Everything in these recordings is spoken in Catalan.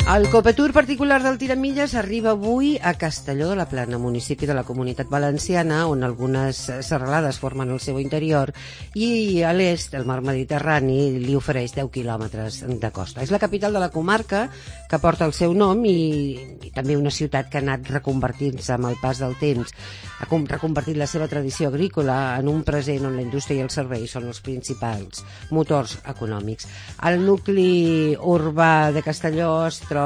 El Copetur particular del Tiramilles arriba avui a Castelló de la Plana, municipi de la Comunitat Valenciana, on algunes serralades formen el seu interior, i a l'est, el mar Mediterrani li ofereix 10 quilòmetres de costa. És la capital de la comarca que porta el seu nom i també una ciutat que ha anat reconvertint-se amb el pas del temps. Ha reconvertit la seva tradició agrícola en un present on la indústria i els serveis són els principals motors econòmics. El nucli urbà de Castelló es troba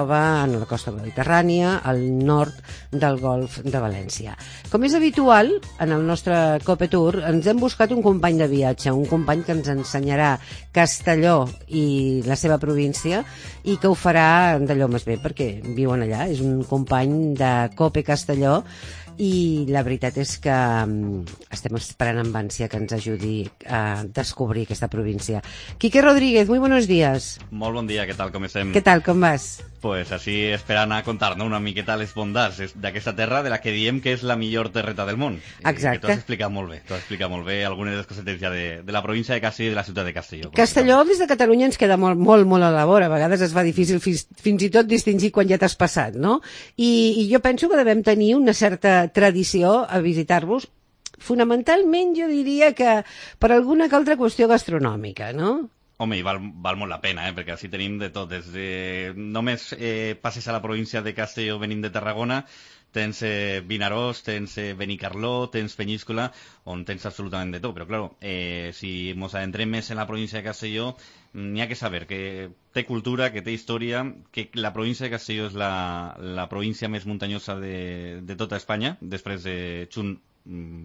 en la costa mediterrània, al nord del golf de València. Com és habitual, en el nostre Copetur ens hem buscat un company de viatge, un company que ens ensenyarà Castelló i la seva província i que ho farà d'allò més bé, perquè viuen allà. És un company de Cope Castelló i la veritat és que estem esperant amb ànsia que ens ajudi a descobrir aquesta província. Quique Rodríguez, muy buenos días. Molt bon dia, què tal, com estem? Què tal, com vas? Pues així esperant a contar-nos una miqueta les bondats d'aquesta terra de la que diem que és la millor terreta del món. Exacte. Que t'ho has explicat molt bé, algunes de les cosetes ja de la província de Castelló i de la ciutat de Castelló. Castelló des de Catalunya ens queda molt a la vora, a vegades es fa difícil fins i tot distingir quan ja t'has passat, no? I jo penso que devem tenir una certa tradició a visitar-vos, fonamentalment jo diria que per alguna que altra qüestió gastronòmica, no? Home, i val molt la pena, perquè així tenim de tot. Només passes a la província de Castelló venint de Tarragona, tens Vinaròs, tens Benicarló, tens Penyíscola, on tens absolutament de tot. Però, clar, si ens adentrem més en la província de Castelló, n'hi ha que saber que té cultura, que té història, que la província de Castelló és la província més muntanyosa de tota Espanya, després de Xun,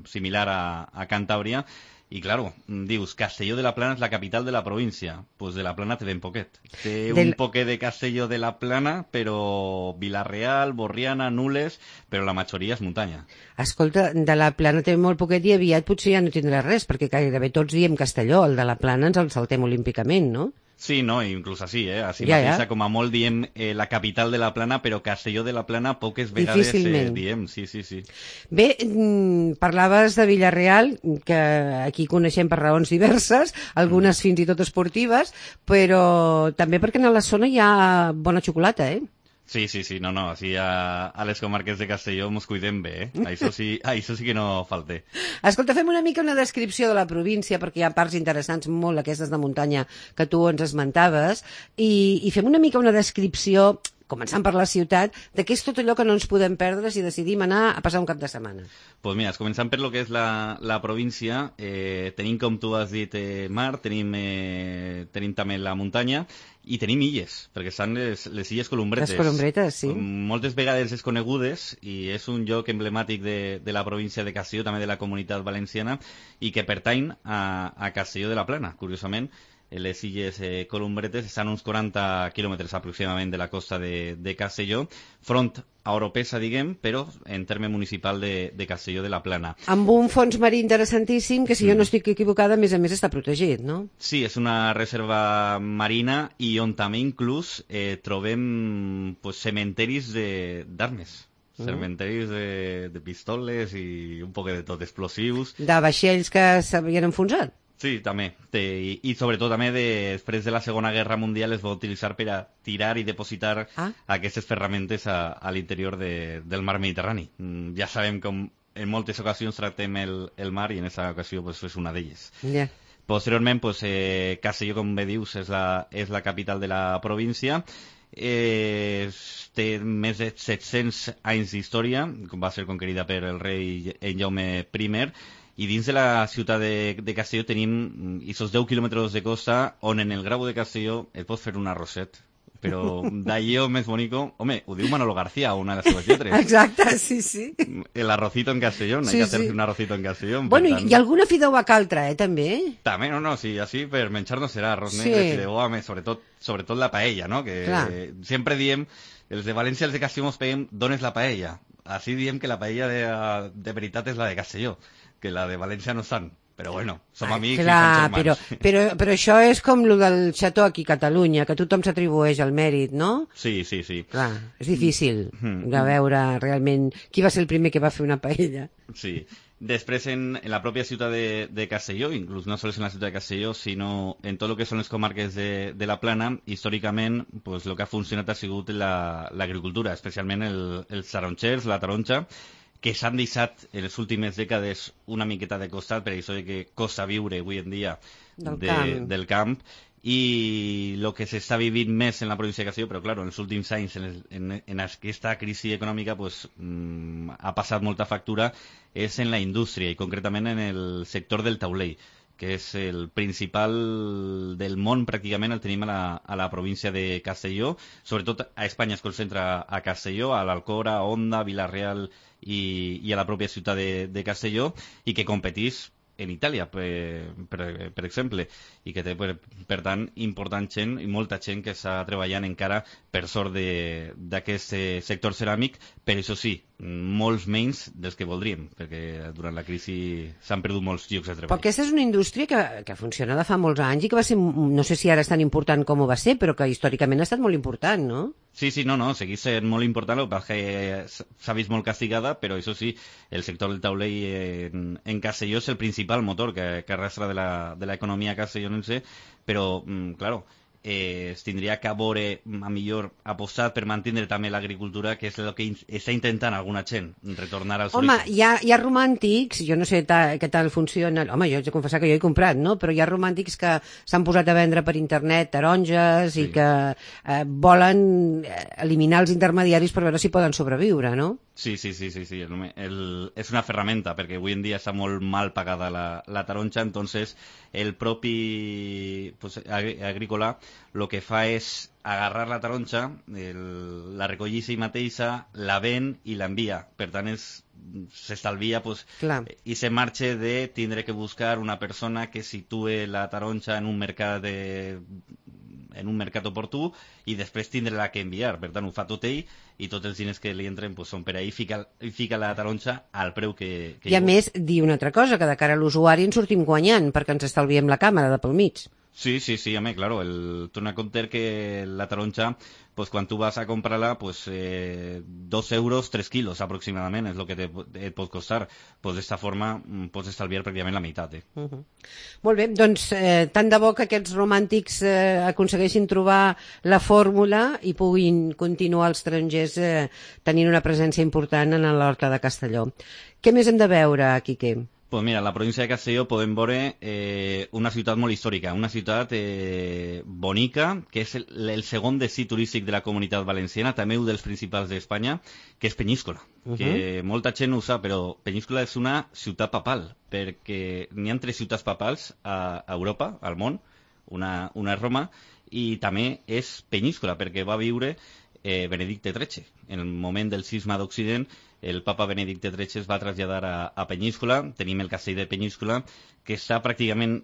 similar a Cantàbria. I, claro, dius, Castelló de la Plana és la capital de la província. Pues de la Plana té ben poquet. Té un poquet de Castelló de la Plana, però Vila-real, Borriana, Nules, però la majoria és muntanya. Escolta, de la Plana té molt poquet i aviat potser ja no tindrà res, perquè gairebé tots diem Castelló, el de la Plana ens el saltem olímpicament, no? Sí, no, inclús així, Així mateixa, com a molt diem la capital de la Plana, però Castelló de la Plana poques vegades diem, sí. Bé, parlaves de Vila-real, que aquí coneixem per raons diverses, algunes fins i tot esportives, però també perquè en la zona hi ha bona xocolata, Sí, no, així a les comarques de Castelló mos cuidem bé, Això sí que no falta. Escolta, fem una mica una descripció de la província, perquè hi ha parts interessants molt aquestes de muntanya que tu ens esmentaves, i fem una mica una descripció, començant per la ciutat, de què és tot allò que no ens podem perdre si decidim anar a passar un cap de setmana. Doncs mira, començant per lo que és la província, tenim, com tu has dit, mar, tenim també la muntanya, i tenim illes, perquè estan les illes Columbretes. Les Columbretes, sí. Moltes vegades desconegudes, i és un lloc emblemàtic de la província de Castelló, també de la Comunitat Valenciana, i que pertany a Castelló de la Plana, curiosament. Les illes Columbretes estan uns 40 quilòmetres aproximadament de la costa de Castelló, front a Oropesa, diguem, però en terme municipal de Castelló de la Plana. Amb un fons marí interessantíssim que, si jo no estic equivocada, a més està protegit, no? Sí, és una reserva marina i on també inclús trobem cementeris d'armes. Cementeris de pistoles i un poc de tot, explosius. De vaixells que s'havien enfonsat? Sí, també. I sobretot també després de la Segona Guerra Mundial es va utilitzar per a tirar i depositar aquestes ferramentes a l'interior del mar Mediterrani. Ja sabem com en moltes ocasions tractem el mar i en aquesta ocasió és una d'elles. Yeah. Posteriorment, Castelló, com bé dius, és la capital de la província. Té més de 700 anys d'història, va ser conquerida per el rei Jaume I, i dins de la ciutat de Castelló tenim aquests 10 quilòmetres de costa on en el Grau de Castelló et pots fer un arrosset, però d'allò més bonico, home, ho diu Manolo García, una de les seves lletres. Exacte, sí. El arrocito en Castelló, hay que hacerse un arrocito en Castelló. Bueno, i alguna fideuà caltra, també? També, no, sí, així per menjar-nos serà arròs negre, fideuà, sobretot la paella, no? Que sempre diem, els de València, els de Castelló mos peguem, d'on és la paella? Així diem que la paella de veritat és la de Castelló, que la de València no estan. Però bueno, som amics i som germans. Però això és com el del xató aquí a Catalunya, que tothom s'atribueix el mèrit, no? Sí. Clar, és difícil de veure realment qui va ser el primer que va fer una paella. Sí, Després, en la pròpia ciutat de Castelló, inclús no sols en la ciutat de Castelló, sinó en tot el que són les comarques de la Plana, històricament, pues, el que ha funcionat ha sigut l'agricultura, especialment els taronxers, la taronja, que s'han deixat en les últimes dècades una miqueta de costat, per això que costa viure avui en dia del camp, i el que s'està vivint més en la província de Castelló, però clar, en els últims anys en aquesta crisi econòmica pues, ha passat molta factura, és en la indústria i concretament en el sector del taulell, que és el principal del món, pràcticament el tenim a la província de Castelló. Sobretot a Espanya es concentra a Castelló, a l'Alcora, a Onda, Vila-real i a la pròpia ciutat de Castelló, i que competís en Itàlia, per exemple, i que té, per tant, important gent i molta gent que està treballant encara per sort d'aquest sector ceràmic, però això sí, molts menys dels que voldríem, perquè durant la crisi s'han perdut molts llocs de treball. Però aquesta és una indústria que funciona de fa molts anys i que va ser, no sé si ara és tan important com ho va ser, però que històricament ha estat molt important, no? Sí, no, segueix sent molt important, el que passa que s'ha vist molt castigada, però això sí, el sector del taulell en Castelló és el principal motor que arrastra de l'economia castellonense, però, claro, es tindria que veure a millor apostat per mantenir també l'agricultura, que és el que està intentant alguna gent, retornar als orígens. Home, hi ha romàntics, jo no sé què tal funciona, home, jo haig de confessar que jo he comprat, no? Però hi ha romàntics que s'han posat a vendre per internet taronges i que volen eliminar els intermediaris per veure si poden sobreviure, no? Sí. És una ferramenta, perquè avui en dia està molt mal pagada la taronja, entonces el propi agrícola el que fa és agarrar la taronja, la recollís ell mateixa, la ven i l'envia. Per tant, s'estalvia i se marxa de tindre que buscar una persona que situe la taronja en un mercat oportú i després tindre-la que enviar. Per tant, ho fa tot ell i tots els diners que li entren són per ahir i fica la taronja al preu que I a més, dir una altra cosa, que de cara a l'usuari ens sortim guanyant perquè ens estalviem la càmera de pel mig. Sí, home, claro, tu no compter que la taronja, quan tu vas a comprar-la, 2 euros, 3 quilos aproximadament és el que et pot costar. D'esta forma pots estalviar pràcticament la meitat. Molt bé, doncs tant de bo que aquests romàntics aconsegueixin trobar la fórmula i puguin continuar els estrangers tenint una presència important en l'Horta de Castelló. Què més hem de veure, Quique? Pues mira, a la província de Castelló podem veure una ciutat molt històrica, una ciutat bonica, que és el segon destí turístic de la Comunitat Valenciana, també un dels principals d'Espanya, que és Peníscola. Que molta gent no ho sap, però Peníscola és una ciutat papal, perquè n'hi ha 3 ciutats papals a Europa, al món, una és Roma, i també és Peníscola, perquè va viure Benedicte XIII. En el moment del cisma d'Occident, el papa Benedicte XIII es va traslladar a Peníscola. Tenim el castell de Peníscola, que està pràcticament,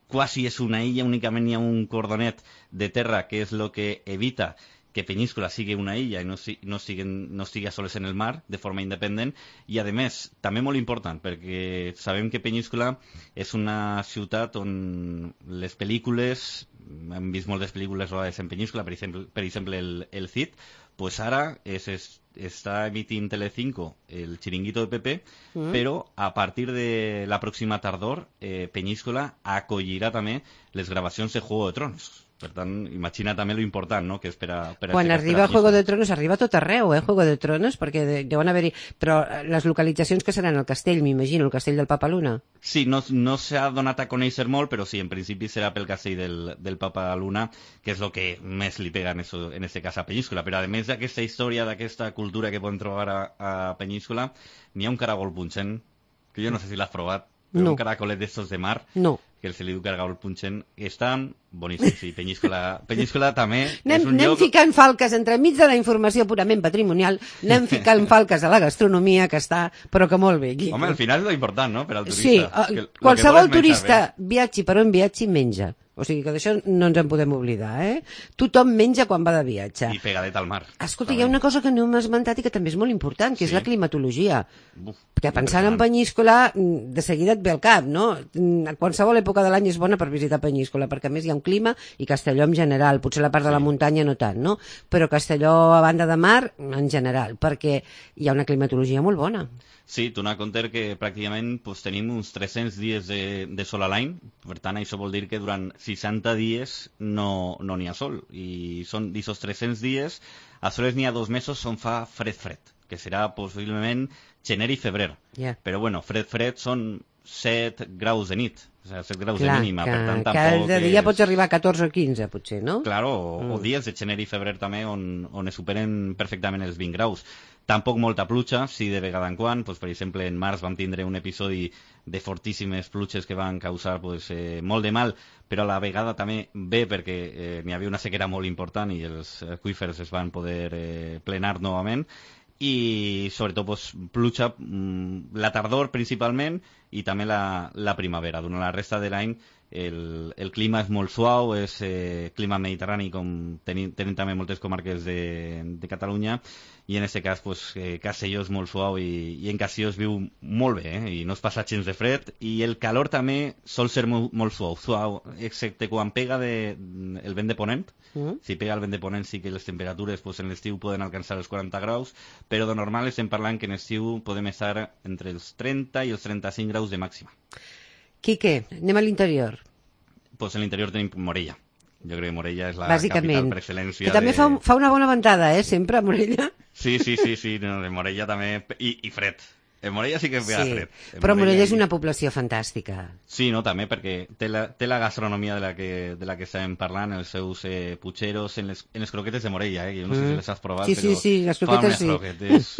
quasi és una illa, únicament hi ha un cordonet de terra, que és el que evita que Peníscola sigui una illa i no estigui a soles en el mar de forma independent, i a més, també molt important, perquè sabem que Peníscola és una ciutat on les pel·lícules, hem vist moltes pel·lícules rodades en Peníscola, per exemple el Cid, ara està emitint Telecinco el Chiringuito de Pepe, però a partir de la pròxima tardor Peníscola acollirà també les gravacions de Juego de Tronos. Per tant, imagina també lo important, no?, que és per a... Quan arriba Juego de Tronos, arriba tot arreu, Juego de Tronos, perquè deuen haver-hi... Però les localitzacions que seran el castell, m'imagino, el castell del Papa Luna. Sí, no s'ha donat a conèixer molt, però sí, en principi serà pel castell del Papa Luna, que és el que més li pega en este cas a Peníscola. Però a més d'aquesta història, d'aquesta cultura que podem trobar a Peníscola, n'hi ha un caragol punxent, que jo no sé si l'has provat, però un caracolet d'estos de mar... No. Que se li diu caragol punxent, estan boníssims. Sí, Peníscola també és un lloc... Anem ficant falques entremig de la informació purament patrimonial, anem ficant falques a la gastronomia, que està, però que molt bé. Home, al final és lo important, no?, per al turista. Sí, qualsevol turista, viatgi per on viatgi, menja. O sigui que d'això no ens en podem oblidar, Tothom menja quan va de viatge. I pegadet al mar. Escolta, hi ha una cosa que no hem esmentat i que també és molt important, que és la climatologia. Perquè pensant en Penyíscola, de seguida et ve al cap, no? A qualsevol època de l'any és bona per visitar Penyíscola, perquè a més hi ha un clima, i Castelló en general, potser la part de la muntanya no tant, no? Però Castelló a banda de mar, en general, perquè hi ha una climatologia molt bona. Sí, tu n'ha compte que pràcticament tenim uns 300 dies de sol a l'any, per tant això vol dir que durant 60 dies no n'hi ha sol, i són d'aquests 300 dies, a soles n'hi ha 2 mesos on fa fred, que serà possiblement gener i febrer. Però bueno, fred són 7 graus de nit, o sigui, 7 graus de mínima, per tant tampoc... Cada dia pots arribar a 14 o 15, potser, no? Claro, o dies de gener i febrer també on es superen perfectament els 20 graus. Tampoc molta pluja, sí de vegada en quan, per exemple en març vam tindre un episodi de fortíssimes pluges que van causar molt de mal, però a la vegada també bé perquè n'hi havia una sequera molt important i els aqüífers es van poder plenar novament, i sobretot pluja la tardor principalment i també la primavera. Durant la resta de l'any el clima és molt suau, és clima mediterrani, com tenim també moltes comarques de Catalunya, i en aquest cas Castelló és molt suau i en Castelló es viu molt bé, i no es passa gens de fred, i el calor també sol ser molt suau, excepte quan pega el vent de ponent. Si pega el vent de ponent sí que les temperatures en l'estiu poden alcançar els 40 graus, però de normal estem parlant que en estiu podem estar entre els 30 i els 35 graus de màxima. Quique, anem a l'interior. Pues en l'interior tenim Morella. Jo crec que Morella és la capital per excel·lència. Que també fa una bona ventada, sempre, a Morella. Sí, no, en Morella també, i fred. En Morella sí que ve fred. Però Morella és una població fantàstica. Sí, no, també, perquè té la gastronomia de la que estem parlant, els seus putxeros, en les croquetes de Morella, jo no sé si les has provat, però les croquetes fan unes croquetes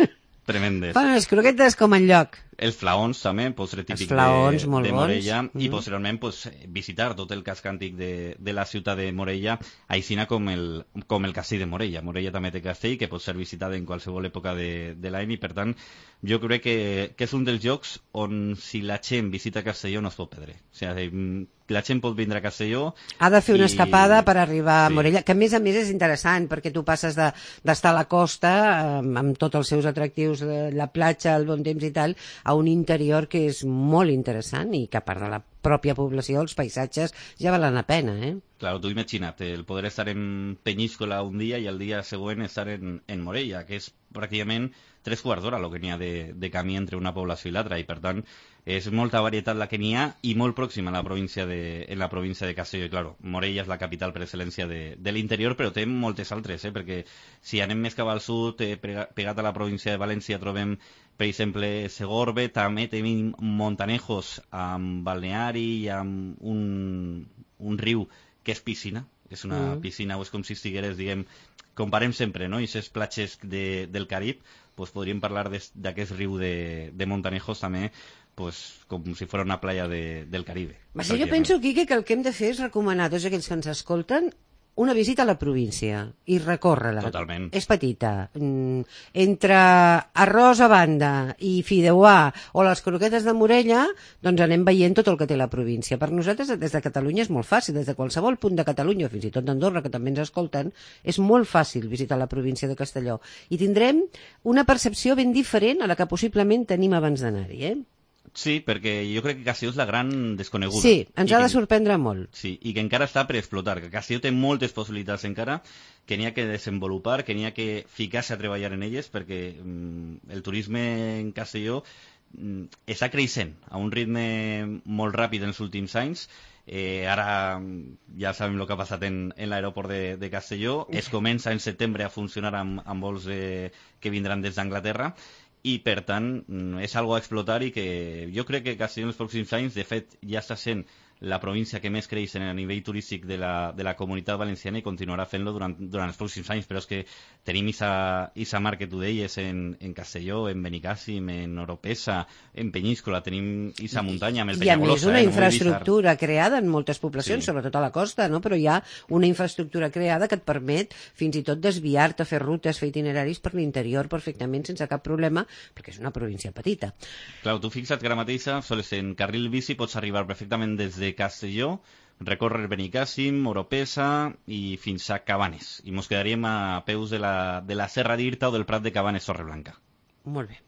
tremendes. Fan les croquetes com enlloc. Els flaons també, postre típic de Morella, i posteriorment visitar tot el casc antic de la ciutat de Morella, aixina com el castell de Morella. Morella també té castell que pot ser visitat en qualsevol època de l'any, i per tant jo crec que és un dels llocs on si la gent visita Castelló no es pot perdre. O sigui, la gent pot vindre a Castelló... Ha de fer una escapada per arribar a Morella, que a més és interessant, perquè tu passes d'estar a la costa, amb tots els seus atractius, la platja, el bon temps i tal, a un interior que és molt interessant i que a part de la pròpia població, els paisatges ja valen la pena, Claro, tu imagina't, el poder estar en Penyíscola un dia i el dia següent estar en Morella, que és pràcticament 3 quarts d'hora el que n'hi ha de camí entre una població i l'altra, i per tant és molta varietat la que n'hi ha i molt pròxima en la província de Castelló. I claro, Morella és la capital per excel·lència de l'interior, però té moltes altres, perquè si anem més cap al sud, pegat a la província de València, trobem per exemple Segorbe, també tenim Montanejos amb balneari i amb un riu que és piscina, és una piscina, o és com si estigueres, diguem, comparem sempre, no?, i aquestes platges del Carib, podríem parlar d'aquest riu de Montanejos també, com si fos una playa del Caribe. Jo penso, Quique, que el que hem de fer és recomanar a tots aquells que ens escolten una visita a la província i recórrer-la. Totalment. És petita. Entre arròs a banda i fideuà o les croquetes de Morella, doncs anem veient tot el que té la província. Per nosaltres, des de Catalunya, és molt fàcil. Des de qualsevol punt de Catalunya, fins i tot d'Andorra, que també ens escolten, és molt fàcil visitar la província de Castelló. I tindrem una percepció ben diferent a la que possiblement tenim abans d'anar-hi, Sí, perquè jo crec que Castelló és la gran desconeguda. Sí, ens ha de sorprendre molt. Sí, i que encara està per explotar, que Castelló té moltes possibilitats encara, que n'hi ha que desenvolupar, que n'hi ha que ficar-se a treballar en elles, perquè el turisme en Castelló està creixent a un ritme molt ràpid en els últims anys. Ara ja sabem el que ha passat en l'aeroport de Castelló. Es comença en setembre a funcionar amb vols que vindran des d'Anglaterra, i per tant és algo a explotar, i que jo crec que Castelló en els pròxims anys, de fet ja està sent la província que més creix a nivell turístic de la comunitat valenciana, i continuarà fent-lo durant els pròxims anys. Però és que tenim esa mar que tu deies en Castelló, en Benicàssim, en Oropesa, en Penyíscola, tenim esa muntanya amb el Penyagolosa. I a més una infraestructura creada en moltes poblacions, sobretot a la costa, no? Però hi ha una infraestructura creada que et permet fins i tot desviar-te, fer rutes, fer itineraris per l'interior perfectament sense cap problema, perquè és una província petita. Clar, tu fixa't que ara mateixa, sols en carril bici pots arribar perfectament des de de Castelló, recórrer Benicàssim, Oropesa i fins a Cabanes. I mos quedaríem a peus de la Serra d'Irta o del Prat de Cabanes Torreblanca. Molt bé.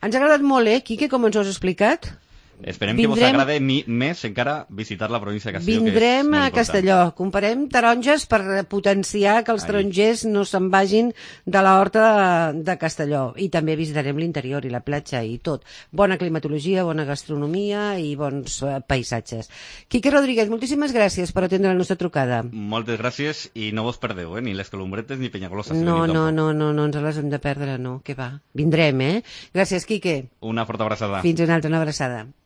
Ens ha agradat molt, Quique, com ens ho has explicat? Esperem que vos agrade més encara visitar la província de Castelló. Vindrem a Castelló, comparem taronges per potenciar que els tarongers no se'n vagin de la horta de Castelló, i també visitarem l'interior i la platja i tot. Bona climatologia, bona gastronomia i bons paisatges. Quique Rodríguez, moltíssimes gràcies per atendre la nostra trucada. Moltes gràcies i no vos perdeu, ni les Columbretes ni Penyagolosa. No ens les hem de perdre, no, que va. Vindrem, Gràcies, Quique. Una forta abraçada. Fins una altra, una abraçada.